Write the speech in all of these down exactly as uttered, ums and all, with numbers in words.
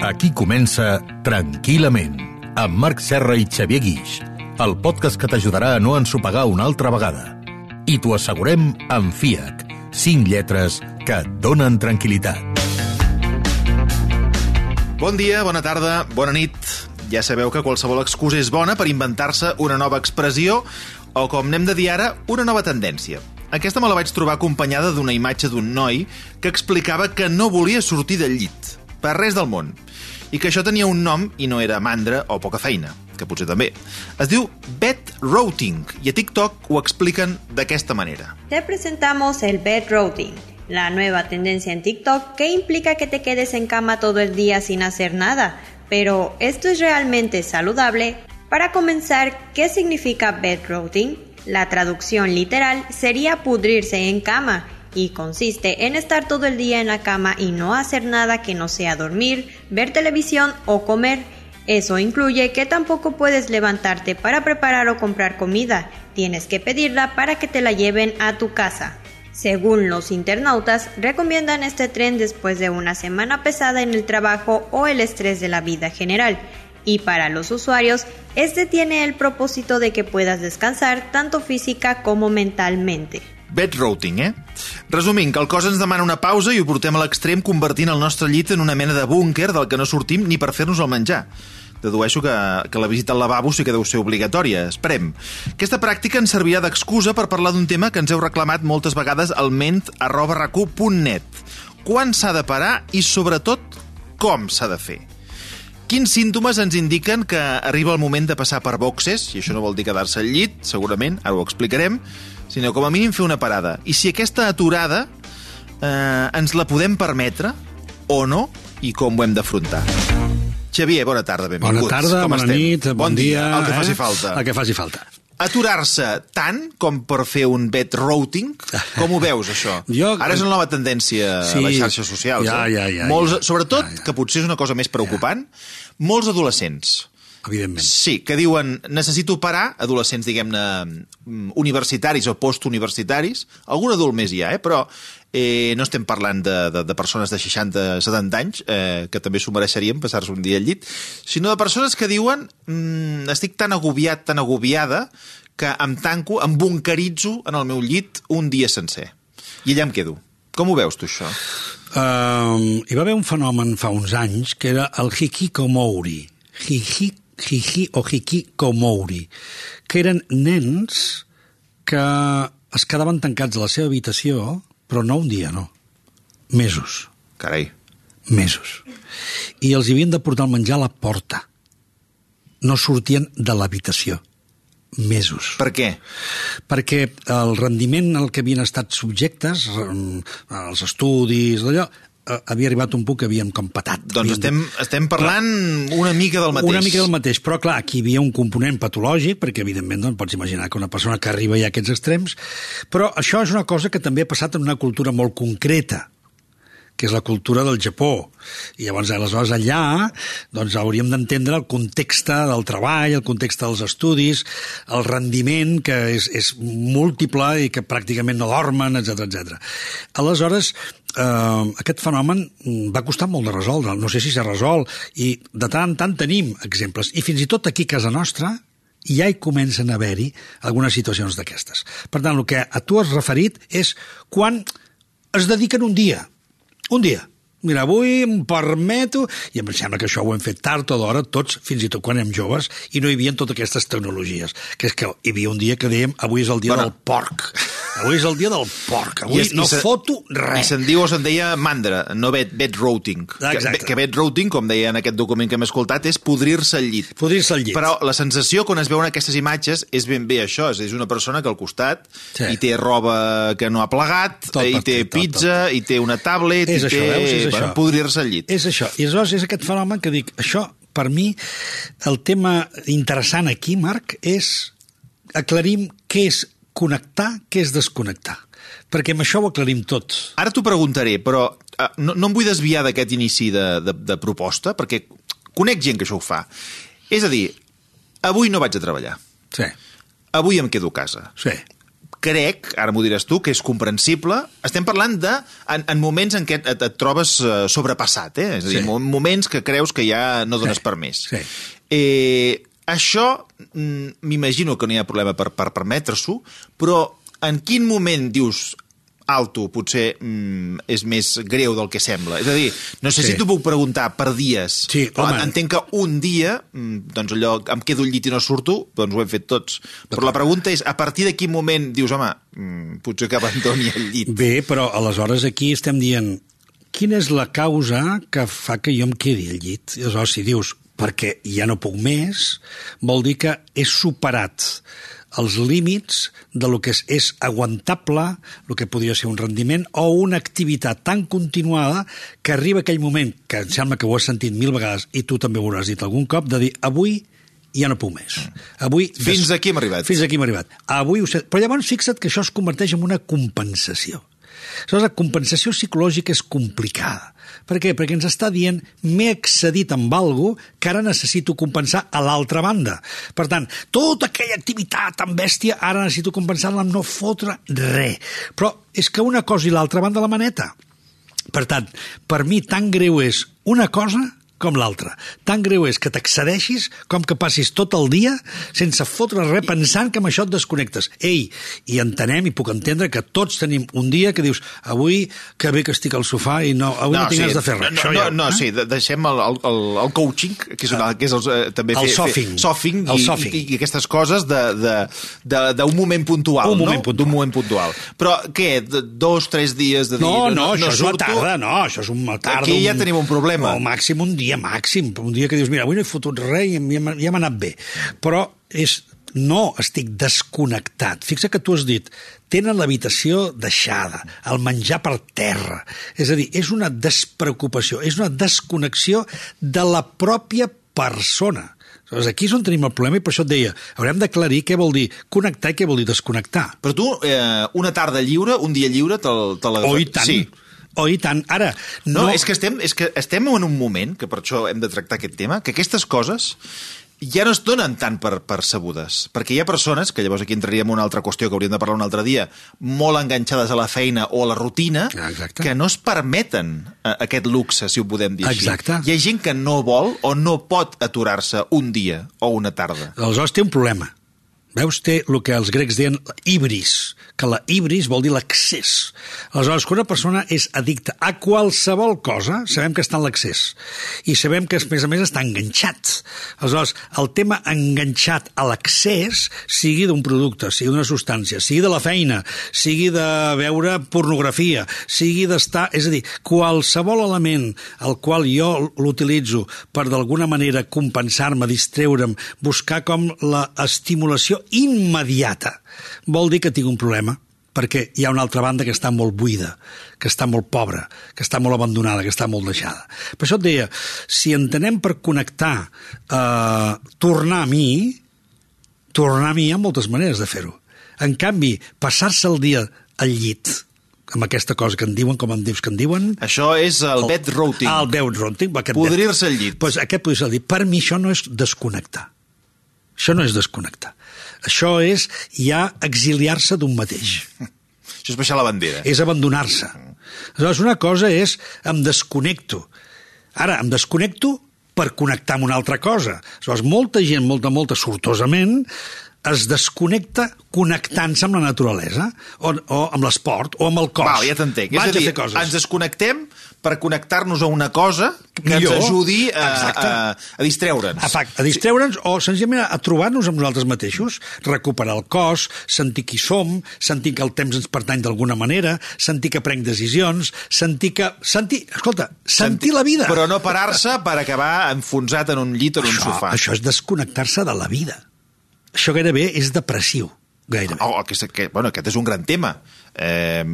Aquí comença Tranquil·lament, amb Marc Serra i Xavier Guix, el podcast que t'ajudarà a no ensopegar una altra vegada. I t'ho assegurem amb FIAC, cinc lletres que et donen tranquil·litat. Bon dia, bona tarda, bona nit. Ja sabeu que qualsevol excusa és bona per inventar-se una nova expressió o, com n'hem de dir ara, una nova tendència. Aquesta me la vaig trobar acompanyada d'una imatge d'un noi que explicava que no volia sortir del llit, per res del món, i que això tenia un nom i no era mandra o poca feina, que potser també. Es diu bed rotting i a TikTok ho expliquen d'aquesta manera. Te presentamos el bed rotting, la nueva tendencia en TikTok que implica que te quedes en cama todo el día sin hacer nada. Pero, ¿esto es realmente saludable? Para comenzar, ¿qué significa bed rotting? La traducción literal sería pudrirse en cama y consiste en estar todo el día en la cama y no hacer nada que no sea dormir, ver televisión o comer. Eso incluye que tampoco puedes levantarte para preparar o comprar comida. Tienes que pedirla para que te la lleven a tu casa. Según los internautas, recomiendan este tren después de una semana pesada en el trabajo o el estrés de la vida general. Y para los usuarios, este tiene el propósito de que puedas descansar tanto física como mentalmente. Bed rotting, eh? Resumint, que el cos ens demana una pausa i ho portem a l'extrem convertint el nostre llit en una mena de búnquer del que no sortim ni per fer-nos el menjar. Dedueixo que, que la visita al lavabo sí que deu ser obligatòria. Esperem. Aquesta pràctica ens servirà d'excusa per parlar d'un tema que ens heu reclamat moltes vegades al ment arroba racu punt net. Quan s'ha de parar i, sobretot, com s'ha de fer? Quins símptomes ens indiquen que arriba el moment de passar per boxes, i això no vol dir quedar-se al llit, segurament, ara ho explicarem, sinó com a mínim fer una parada. I si aquesta aturada eh, ens la podem permetre o no, i com ho hem d'afrontar. Xavier, bona tarda, benvinguts. Bona tarda, com bona estem? nit, bon, bon dia. dia. El que eh? faci falta. El que faci falta. Aturar-se tant com per fer un bed rotting? Com ho veus, això? Jo... Ara és una nova tendència sí, a les xarxes socials. Ja, eh? ja, ja. Molts, ja. sobretot, ja, ja. que potser és una cosa més preocupant, ja. molts adolescents. Evidentment. Sí, que diuen, necessito parar, adolescents, diguem-ne, universitaris o postuniversitaris, algun adult més hi ha, eh? Però eh, no estem parlant de, de, de persones de seixanta a setanta anys, eh, que també s'ho mereixerien passar-se un dia al llit, sinó de persones que diuen, mm, estic tan agobiat, tan agobiada, que em tanco, em bunkeritzo en el meu llit un dia sencer. I allà em quedo. Com ho veus, tu, això? Uh, hi va haver un fenomen fa uns anys que era el hikikomori. Hiki Hiki o hikikomori, que eren nens que es quedaven tancats a la seva habitació, però no un dia, no. Mesos. Carai. Mesos. I els havien de portar el menjar a la porta. No sortien de l'habitació. Mesos. Per què? Perquè el rendiment al que havien estat subjectes, els estudis, d'allò, havia arribat un punt que havíem com patat. Doncs estem, estem parlant clar, una mica del mateix. Una mica del mateix, però clar, aquí hi havia un component patològic, perquè evidentment doncs, pots imaginar que una persona que arriba ja a aquests extrems, però això és una cosa que també ha passat en una cultura molt concreta, que és la cultura del Japó. I llavors, aleshores, allà doncs, hauríem d'entendre el context del treball, el context dels estudis, el rendiment, que és, és múltiple i que pràcticament no dormen, etcètera, etcètera. Aleshores, eh, aquest fenomen va costar molt de resoldre. No sé si s'ha resolt, i de tant en tant tenim exemples. I fins i tot aquí a casa nostra ja hi comencen a haver-hi algunes situacions d'aquestes. Per tant, el que a tu has referit és quan es dediquen un dia, un dia. Mira, avui em permeto, i em sembla que això ho hem fet tard o d'hora, tots, fins i tot quan érem joves, i no hi havia totes aquestes tecnologies. Que és que hi havia un dia que dèiem, avui és el dia bueno. del porc. Avui és el dia del porc. Avui es, no se, foto res. I se'n diu o se'n deia mandra, no bed, bed rotting. Exacte. Que, que bed rotting, com deia en aquest document que hem escoltat, és podrir-se al llit. Podrir-se al llit. Però la sensació quan es veuen aquestes imatges és ben bé això, és una persona que al costat sí. hi té roba que no ha plegat, tot hi té tot, pizza, tot, tot. hi té una tablet, és hi això, té... Veus, és bueno, podrir-se al llit. És això. I aleshores és aquest fenomen que dic, això, per mi, el tema interessant aquí, Marc, és aclarim què és connectar, què és desconnectar. Perquè amb això ho aclarim tot. Ara t'ho preguntaré, però uh, no, no em vull desviar d'aquest inici de, de, de proposta, perquè conec gent que això ho fa. És a dir, avui no vaig a treballar. Sí. Avui em quedo a casa. Sí. crec, ara m'ho diràs tu, que és comprensible. Estem parlant de en, en moments en què et, et trobes sobrepassat, eh? És a dir, sí. moments que creus que ja no dones sí. per més. Sí. Eh, això m'imagino que no hi ha problema per, per permetre-s'ho, però en quin moment dius alto, potser mm, és més greu del que sembla? És a dir, no sé sí. si t'ho puc preguntar per dies, sí, però entenc que un dia, doncs allò, em quedo al llit i no surto, doncs ho hem fet tots. Però la pregunta és, a partir de quin moment dius, home, mm, potser que abandoni el llit? Bé, però aleshores aquí estem dient, quina és la causa que fa que jo em quedi al llit? I aleshores, si dius, perquè ja no puc més, vol dir que he superat els límits de lo que és, és aguantable, el que podria ser un rendiment, o una activitat tan continuada que arriba aquell moment, que em sembla que ho has sentit mil vegades, i tu també ho hauràs dit algun cop, de dir, avui ja no puc més. Avui, fins aquí hem arribat. Fins aquí hem arribat. Avui ho sé. Però llavors fixa't que això es converteix en una compensació. Aleshores, la compensació psicològica és complicada. Per què? Perquè ens està dient m'he excedit amb alguna cosa que ara necessito compensar a l'altra banda. Per tant, tota aquella activitat tan bèstia ara necessito compensar-la amb no fotre res. Però és que una cosa i l'altra van de la maneta. Per tant, per mi tan greu és una cosa com l'altra. Tan greu és que t'excedeixis com que passis tot el dia sense fotre res pensant que amb això et desconnectes. Ei, i entenem i puc entendre que tots tenim un dia que dius avui que bé que estic al sofà i no, avui no, no tinc sí, de fer res. No, no, ja, no, no eh? sí, deixem el, el, el coaching, que és, una, que és el, també el fer, sofing, fer sofing, el i, sofing. I, i aquestes coses d'un moment puntual, un moment no? puntual. D'un moment puntual. Però què, dos, tres dies de dir... No, no, no, això no és una tarda, no, això és una tarda. Aquí ja un, tenim un problema. O màxim un dia màxim, un dia que dius, mira, avui no he fotut res i ja m'ha ja anat bé. Però és, no estic desconnectat. Fixa que tu has dit, tenen l'habitació deixada, el menjar per terra. És a dir, és una despreocupació, és una desconnexió de la pròpia persona. Aleshores, aquí és on tenim el problema i per això et deia, haurem d'aclarir què vol dir connectar i què vol dir desconnectar. Però tu, eh, una tarda lliure, un dia lliure, te l'agafes? Oh, i tant. Sí. Oh, i tant. Ara, no... no... És que, estem, és que estem en un moment, que per això hem de tractar aquest tema, que aquestes coses ja no es donen tant per percebudes, perquè hi ha persones, que llavors aquí entraríem en una altra qüestió que hauríem de parlar un altre dia, molt enganxades a la feina o a la rutina, Exacte. que no es permeten aquest luxe, si ho podem dir Exacte. així. Hi ha gent que no vol o no pot aturar-se un dia o una tarda. Aleshores té un problema. Veus, té el que els grecs deien ibris, que la ibris vol dir l'accés. Aleshores, quan una persona és addicta a qualsevol cosa, sabem que està en l'accés. I sabem que, a més a més, està enganxat. Aleshores, el tema enganxat a l'accés, sigui d'un producte, sigui d'una substància, sigui de la feina, sigui de veure pornografia, sigui d'estar... És a dir, qualsevol element al qual jo l'utilitzo per d'alguna manera compensar-me, distreure'm, buscar com l'estimulació immediata, vol dir que tinc un problema, perquè hi ha una altra banda que està molt buida, que està molt pobra, que està molt abandonada, que està molt deixada. Per això et deia, si entenem per connectar eh, tornar a mi, tornar a mi hi ha moltes maneres de fer-ho. En canvi, passar-se el dia al llit, amb aquesta cosa que en diuen, com em dius que en diuen... Això és el, el bed rotting. El bed rotting. Podrir-se al llit. Pues aquest podrir-se al llit. Per mi això no és desconnectar. Això no és desconnectar. Això és ja exiliar-se d'un mateix. Això és baixar la bandera. És abandonar-se. Aleshores, una cosa és em desconnecto. Ara, em desconnecto per connectar amb una altra cosa. Aleshores, molta gent, molta, molta, sortosament, es desconnecta connectant-se amb la naturalesa, o, o amb l'esport, o amb el cos. Val, ja t'entenc. És a dir, ens desconnectem per connectar-nos a una cosa que Millor. ens ajudi a, a, a distreure'ns. A, a distreure'ns o senzillament a trobar-nos amb nosaltres mateixos, recuperar el cos, sentir qui som, sentir que el temps ens pertany d'alguna manera, sentir que prenc decisions, sentir que... Sentir, escolta, sentir, sentir la vida. Però no parar-se per acabar enfonsat en un llit o en això, un sofà. Això és desconnectar-se de la vida. Això gairebé és depressiu, gairebé. Oh, aquest, aquest, bueno, aquest és un gran tema. Eh,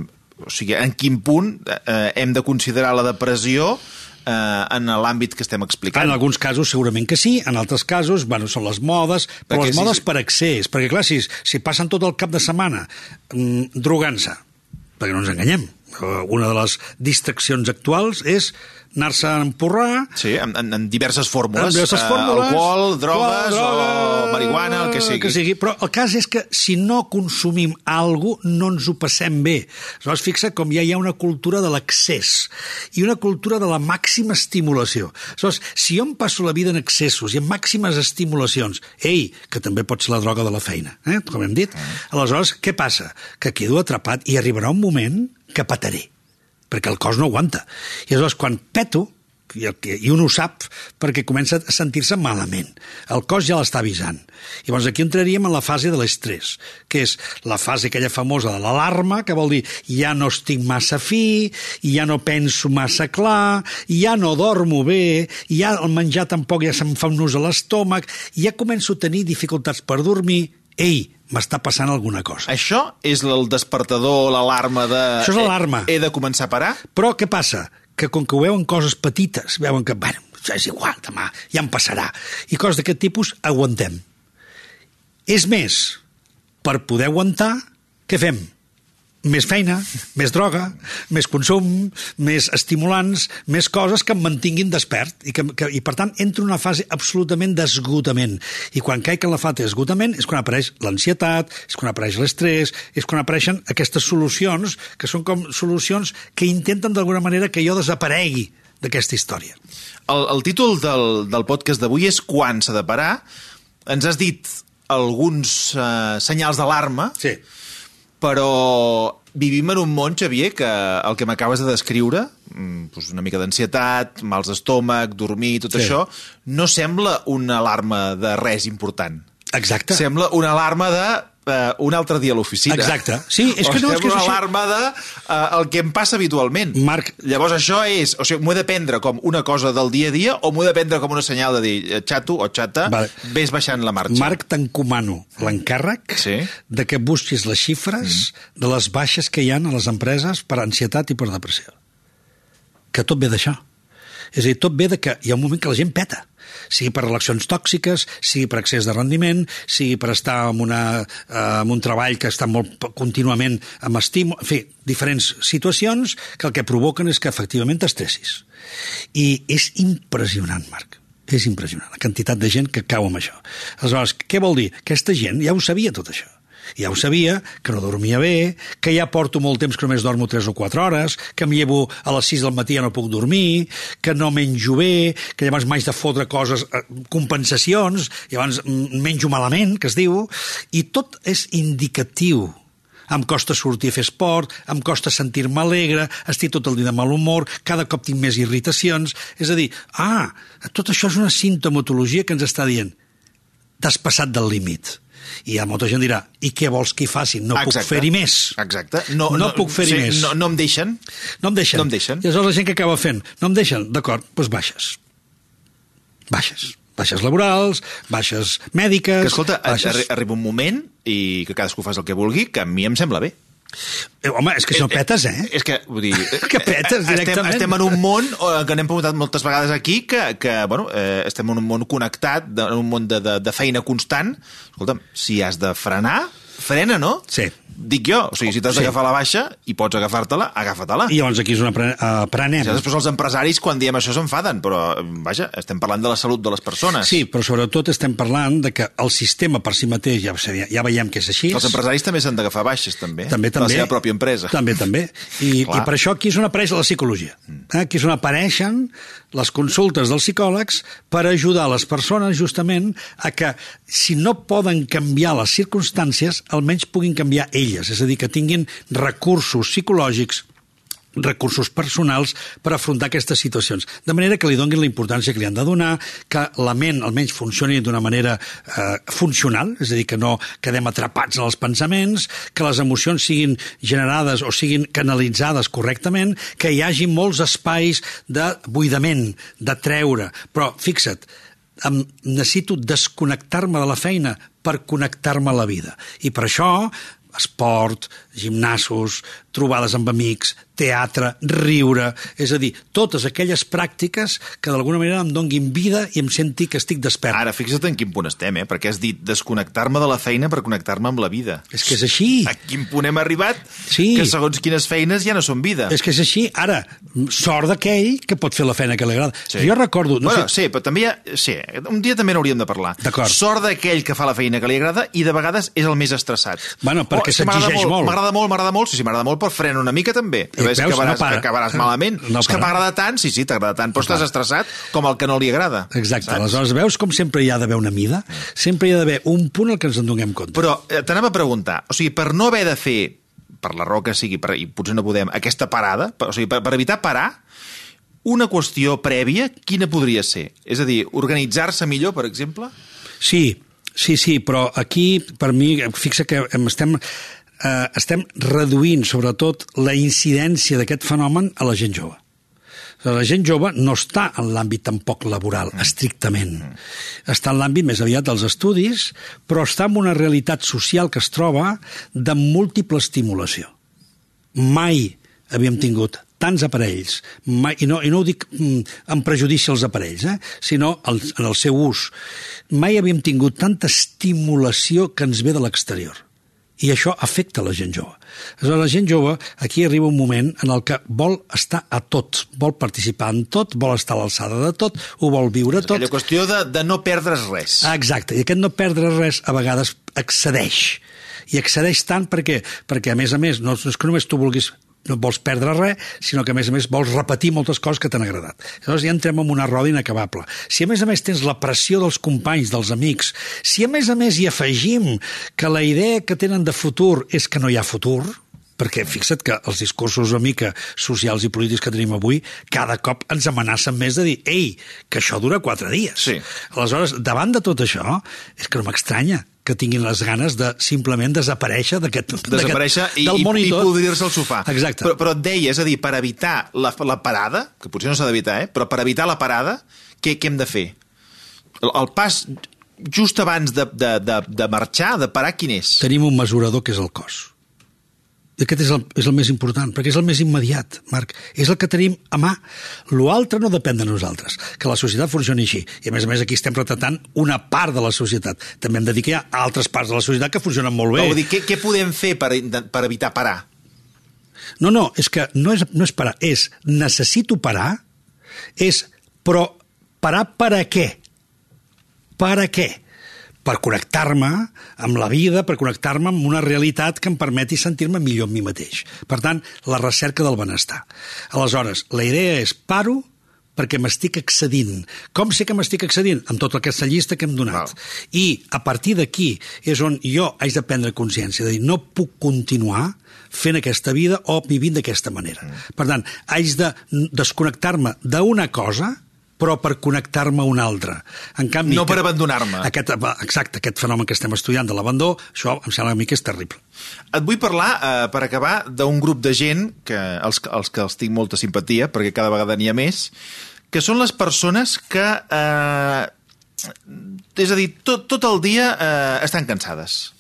o sigui, en quin punt eh, hem de considerar la depressió eh, en l'àmbit que estem explicant? En alguns casos segurament que sí, en altres casos, bueno, són les modes, però perquè les modes sí, per accés, perquè clar, si, si passen tot el cap de setmana mm, drogant-se, perquè no ens enganyem, Una de les distraccions actuals és anar-se a empurrar... Sí, en, en, en diverses fórmules. En diverses fórmules. Uh, alcohol, drogues, qual, droga, o marihuana, el que sigui. que sigui. Però el cas és que si no consumim alguna cosa, no ens ho passem bé. Aleshores, fixa com ja hi ha una cultura de l'excés i una cultura de la màxima estimulació. Aleshores, si jo em passo la vida en excessos i en màximes estimulacions, ei, que també pot ser la droga de la feina, eh? Com hem dit, aleshores, què passa? Que quedo atrapat i arribarà un moment que pataré, perquè el cos no aguanta. I aleshores, quan peto, i, el que, i un ho sap, perquè comença a sentir-se malament. El cos ja l'està avisant. I llavors aquí entraríem en la fase de l'estrès, que és la fase aquella famosa de l'alarma, que vol dir ja no estic massa fi, ja no penso massa clar, ja no dormo bé, ja el menjar tampoc ja se'm fa un nus a l'estómac, ja començo a tenir dificultats per dormir. Ei, m'està passant alguna cosa. Això és el despertador, l'alarma de... Això és l'alarma. He, he de començar a parar? Però què passa? Que com que ho veuen coses petites, veuen que, bueno, ja és igual, demà ja em passarà. I coses d'aquest tipus aguantem. És més, per poder aguantar, què fem? Més feina, més droga, més consum, més estimulants, més coses que em mantinguin despert. I, que, que, i per tant, entro en una fase absolutament d'esgotament. I quan caic en la fase d'esgotament és quan apareix l'ansietat, és quan apareix l'estrès, és quan apareixen aquestes solucions, que són com solucions que intenten d'alguna manera que jo desaparegui d'aquesta història. El, el títol del, del podcast d'avui és Quan s'ha de parar. Ens has dit alguns eh, senyals d'alarma, sí, però vivim en un món, Xavier, que el que m'acabes de descriure, doncs una mica d'ansietat, mals d'estómac, dormir, tot sí, això, no sembla una alarma de res important. Exacte. Sembla una alarma de uh, un altre dia a l'oficina. Exacte. Sí, és o que no, sembla és que és una això... alarma de uh, el que em passa habitualment. Marc... Llavors això és... O sigui, m'ho he de prendre com una cosa del dia a dia o m'ho he de prendre com una senyal de dir xato o xata, vale, ves baixant la marxa. Marc, t'encomano l'encàrrec sí, de que busquis les xifres mm. de les baixes que hi ha a les empreses per ansietat i per depressió. Que tot ve d'això. És a dir, tot ve de que hi ha un moment que la gent peta, sigui per relacions tòxiques, sigui per excés de rendiment, sigui per estar en, una, eh, en un treball que està molt contínuament amb estímul, en fi, diferents situacions que el que provoquen és que efectivament t'estressis. I és impressionant, Marc, és impressionant la quantitat de gent que cau amb això. Aleshores, què vol dir? Aquesta gent ja ho sabia tot això. Ja ho sabia, que no dormia bé, que ja porto molt temps que només dormo tres o quatre hores, que em llevo a les sis del matí i ja no puc dormir, que no menjo bé, que llavors m'haig de fotre coses, compensacions, llavors menjo malament, que es diu, i tot és indicatiu. Em costa sortir a fer esport, em costa sentir-me alegre, estic tot el dia de mal humor, cada cop tinc més irritacions. És a dir, ah, tot això és una sintomatologia que ens està dient t'has passat del límit. I ja molta gent dirà, i què vols que hi faci? No Exacte. puc fer-hi més. Exacte. No, no, no puc fer-hi sí, més. No, no em deixen. No em deixen. No em deixen. I aleshores la gent que acaba fent, no em deixen, d'acord, doncs baixes. Baixes. Baixes laborals, baixes mèdiques... Que escolta, baixes... arriba un moment, i que cadascú fas el que vulgui, que a mi em sembla bé. Eh, home, és que si no petes, eh? És que, vull dir... que petes directament. Estem, estem en un món que n'hem preguntat moltes vegades aquí, que, que bueno, eh, estem en un món connectat, en un món de, de, de feina constant. Escolta'm, si has de frenar, frena, no? Sí. Dic jo, o sigui, si t'has sí. d'agafar la baixa i pots agafar-te-la, agafa-te-la. I llavors aquí és on aprenem. Ja, després els empresaris, quan diem això, s'enfaden, però, vaja, estem parlant de la salut de les persones. Sí, però sobretot estem parlant de que el sistema per si mateix, ja, ja veiem que és així. Els empresaris també s'han d'agafar baixes, també. També, també. La seva pròpia empresa. També, també. I, i per això aquí és on apareix la psicologia. Eh? Aquí és on apareixen les consultes dels psicòlegs per ajudar les persones, justament, a que, si no poden canviar les circumstàncies, almenys puguin canviar elles, és a dir, que tinguin recursos psicològics, recursos personals per afrontar aquestes situacions. De manera que li donin la importància que li han de donar, que la ment almenys funcioni d'una manera eh, funcional, és a dir, que no quedem atrapats en els pensaments, que les emocions siguin generades o siguin canalitzades correctament, que hi hagi molts espais de buidament, de treure. Però, fixa't, em necessito desconnectar-me de la feina per connectar-me a la vida. I per això esport, gimnasos, trobades amb amics, teatre, riure, és a dir, totes aquelles pràctiques que d'alguna manera em donguin vida i em senti que estic despert. Ara, fixa't en quin punt estem, eh? Perquè has dit desconnectar-me de la feina per connectar-me amb la vida. És que és així. A quin punt hem arribat? Sí. Que segons quines feines ja no són vida. És que és així. Ara, sort d'aquell que pot fer la feina que li agrada. Sí. Jo recordo... No bueno, sé... sí, però també hi ha... Sí, un dia també n'hauríem de parlar. D'acord. Sort d'aquell que fa la feina que li agrada i de vegades és el més estressat. Bueno, perquè oh, s'exigeix molt. M'agrada molt, m'agrada molt. Sí, sí, m'agrada molt, però frena una mica també. I veus, acabaràs, no para. acabaràs malament. No és que m'agrada tant, sí, sí, t'agrada tant, però no estàs estressat com el que no li agrada. Exacte. Saps? Aleshores, veus com sempre hi ha d'haver una mida? Sempre hi ha d'haver un punt al que ens en donem compte. Però eh, t'anava a preguntar, o sigui, per no haver de fer, per la raó que sigui, per, i potser no podem, aquesta parada, per, o sigui, per, per evitar parar, una qüestió prèvia, quina podria ser? És a dir, organitzar-se millor, per exemple? Sí, sí, sí, però aquí, per mi, fixa que estem, eh, estem reduint, sobretot, la incidència d'aquest fenomen a la gent jove. La gent jove no està en l'àmbit tampoc laboral, estrictament. Està en l'àmbit més aviat dels estudis, però està en una realitat social que es troba de múltiple estimulació. Mai havíem tingut tants aparells, mai, i, no, i no ho dic mm, en prejudici als aparells, eh, sinó el, en el seu ús. Mai havíem tingut tanta estimulació que ens ve de l'exterior. I això afecta la gent jove. Aleshores, la gent jove, aquí arriba un moment en el que vol estar a tot, vol participar en tot, vol estar a l'alçada de tot, ho vol viure tot. Aquella qüestió de, de no perdre's res. Ah, exacte, i aquest no perdre res a vegades excedeix. I excedeix tant perquè, perquè a més a més, no és que només tu vulguis no vols perdre res, sinó que a més a més vols repetir moltes coses que t'han agradat. Llavors ja entrem en una roda inacabable. Si a més a més tens la pressió dels companys, dels amics, si a més a més hi afegim que la idea que tenen de futur és que no hi ha futur, perquè fixa't que els discursos una mica socials i polítics que tenim avui cada cop ens amenacen més de dir ei, que això dura quatre dies. Sí. Aleshores, davant de tot això, és que no m'estranya que tinguin les ganes de simplement desaparèixer d'aquest desaparèixer i, del món i, i i tot. podrir-se al sofà. Exacte. Però, però et deia, és a dir, per evitar la, la parada, que potser no s'ha d'evitar, eh? Però per evitar la parada, què, què hem de fer? El, el pas just abans de, de, de, de marxar, de parar, quin és? Tenim un mesurador que és el cos. I aquest és el, és el més important, perquè és el més immediat, Marc. És el que tenim a mà. L'altre no depèn de nosaltres, que la societat funcioni així. I a més a més aquí estem retratant una part de la societat. També hem de dir que hi ha altres parts de la societat que funcionen molt bé. Vull dir, què, què podem fer per, per evitar parar? No, no, és que no és, no és parar, és necessito parar, és però parar per a què? Per a què? Per connectar-me amb la vida, per connectar-me amb una realitat que em permeti sentir-me millor amb mi mateix. Per tant, la recerca del benestar. Aleshores, la idea és paro perquè m'estic excedint. Com sé que m'estic excedint? Amb tota aquesta llista que hem donat. Wow. I a partir d'aquí és on jo haig de prendre consciència, de dir, no puc continuar fent aquesta vida o vivint d'aquesta manera. Mm. Per tant, haig de desconnectar-me d'una cosa però per connectar-me a una altra. En canvi, no per abandonar-me. Aquest, exacte, aquest fenomen que estem estudiant de l'abandó, això em sembla a mi que és terrible. Et vull parlar, eh, per acabar, d'un grup de gent, que els, els que els tinc molta simpatia, perquè cada vegada n'hi ha més, que són les persones que, eh, és a dir, tot, tot el dia eh, estan cansades.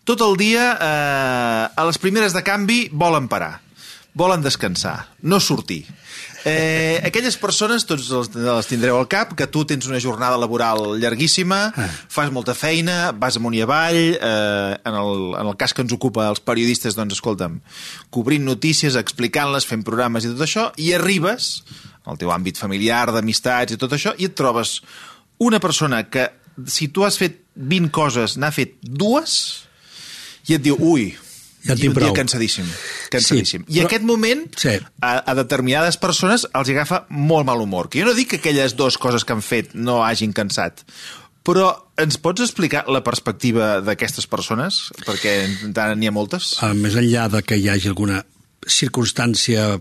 Tot el dia, eh, a les primeres de canvi, volen parar, volen descansar, no sortir. Eh, aquelles persones, tots les, les tindreu al cap, que tu tens una jornada laboral llarguíssima, ah. fas molta feina, vas amunt i avall, eh, en, el, en el cas que ens ocupa els periodistes, doncs, escolta'm, cobrint notícies, explicant-les, fent programes i tot això, i arribes al teu àmbit familiar, d'amistats i tot això, i et trobes una persona que, si tu has fet vint coses, n'ha fet dues, i et diu, ui, ja i un dia cansadíssim, cansadíssim. Sí, I però... aquest moment, sí. a, a determinades persones els agafa molt mal humor. Que jo no dic que aquelles dues coses que han fet no hagin cansat, però ens pots explicar la perspectiva d'aquestes persones? Perquè encara n'hi ha moltes. Uh, més enllà de que hi hagi alguna circumstància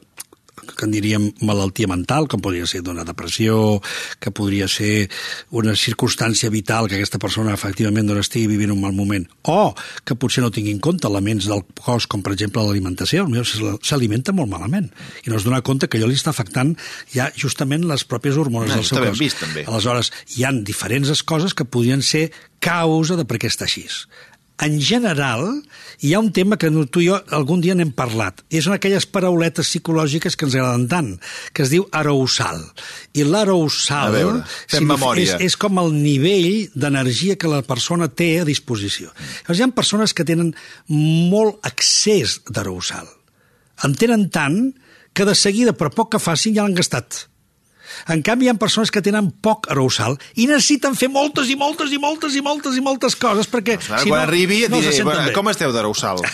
que en diríem malaltia mental, com podria ser d'una depressió, que podria ser una circumstància vital que aquesta persona efectivament no estigui vivint un mal moment, o que potser no tingui en compte elements del cos, com per exemple l'alimentació, s'alimenta molt malament i no es dona compte que allò li està afectant ja justament les pròpies hormones no, del seu cos. Vist, també. Aleshores, hi han diferents coses que podrien ser causa de per què està així. en general, hi ha un tema que tu i jo algun dia n'hem parlat, i són aquelles parauletes psicològiques que ens agraden tant, que es diu arousal. I l'arousal veure, fem memòria. És, és com el nivell d'energia que la persona té a disposició. Llavors, hi ha persones que tenen molt excés d'arousal. En tenen tant que de seguida, per poc que facin, ja l'han gastat. En canvi, hi ha persones que tenen poc arousal i necessiten fer moltes i moltes i moltes i moltes i moltes coses perquè... Doncs si quan no, arribi et no diré, bueno, com esteu d'arousal?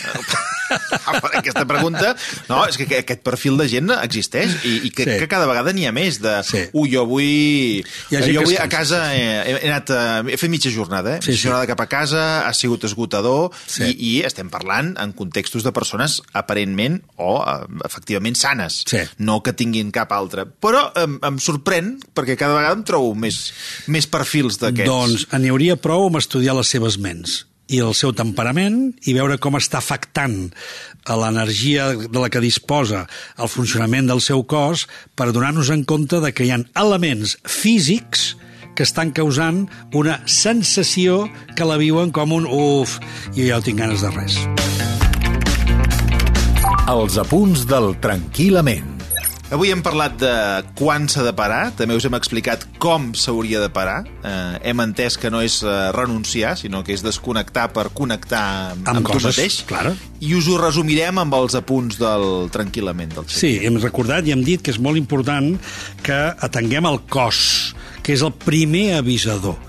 Aquesta pregunta... No, és que aquest perfil de gent existeix i, i que, sí. que cada vegada n'hi ha més de... Sí. Ui, jo avui... Jo avui a casa he, he anat... A, he fet mitja jornada, eh? Sí, mitja jornada sí. cap a casa, ha sigut esgotador sí. i, i estem parlant en contextos de persones aparentment o efectivament sanes, sí. no que tinguin cap altre. Però em, em sorprèn perquè cada vegada em trobo més, més perfils d'aquests. Doncs n'hi hauria prou amb estudiar les seves ments i el seu temperament i veure com està afectant a l'energia de la que disposa el funcionament del seu cos per donar-nos en compte de que hi ha elements físics que estan causant una sensació que la viuen com un uf, jo ja no tinc ganes de res. Els apunts del Tranquil·lament. Avui hem parlat de quan s'ha de parar, també us hem explicat com s'hauria de parar. Eh, hem entès que no és eh, renunciar, sinó que és desconnectar per connectar amb, amb, amb coses, tu mateix. Claro. I us ho resumirem amb els apunts del Tranquil·lament. Del sí, hem recordat i hem dit que és molt important que atenguem el cos, que és el primer avisador.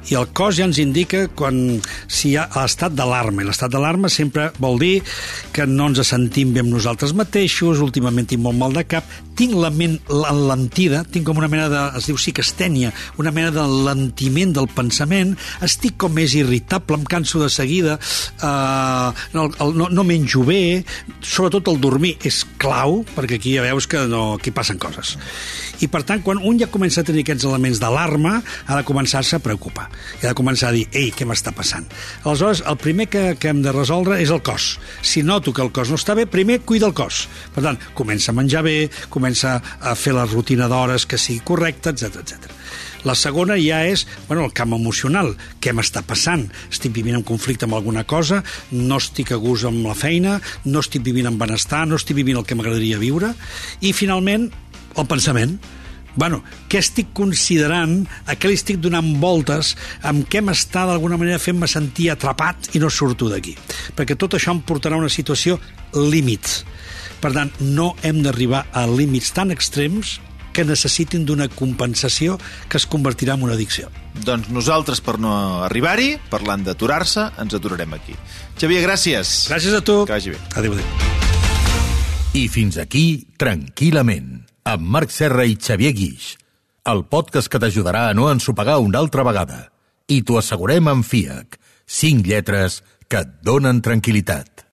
I el cos ja ens indica quan si hi ha l'estat d'alarma. I l'estat d'alarma sempre vol dir que no ens sentim bé amb nosaltres mateixos, últimament tinc molt mal de cap, tinc la ment enlentida, tinc com una mena de, es diu psicastènia, una mena d'enlentiment del pensament, estic com més irritable, em canso de seguida, eh, no, no, no menjo bé, sobretot el dormir és clau, perquè aquí ja veus que no, aquí passen coses. I per tant, quan un ja comença a tenir aquests elements d'alarma, ha de començar-se a preocupar. I ha de començar a dir, ei, què m'està passant? Aleshores, el primer que, que hem de resoldre és el cos. Si noto que el cos no està bé, primer cuida el cos. Per tant, comença a menjar bé, comença a fer la rutina d'hores que sigui correcta, etcètera, etcètera. La segona ja és, bueno, el camp emocional. Què m'està passant? Estic vivint en conflicte amb alguna cosa, no estic a gust amb la feina, no estic vivint en benestar, no estic vivint el que m'agradaria viure. I, finalment, el pensament. Bueno, què estic considerant, a què li estic donant voltes, amb què m'està d'alguna manera fent-me sentir atrapat i no surto d'aquí. Perquè tot això em portarà a una situació límit. Per tant, no hem d'arribar a límits tan extrems que necessitin d'una compensació que es convertirà en una addicció. Doncs nosaltres, per no arribar-hi, parlant d'aturar-se, ens aturarem aquí. Xavier, gràcies. Gràcies a tu. Que vagi bé. Adéu, adéu. I fins aquí, Tranquil·lament, amb Marc Serra i Xavier Guix, el podcast que t'ajudarà a no ensopegar una altra vegada. I t'ho assegurem amb F I A C, cinc lletres que et donen tranquil·litat.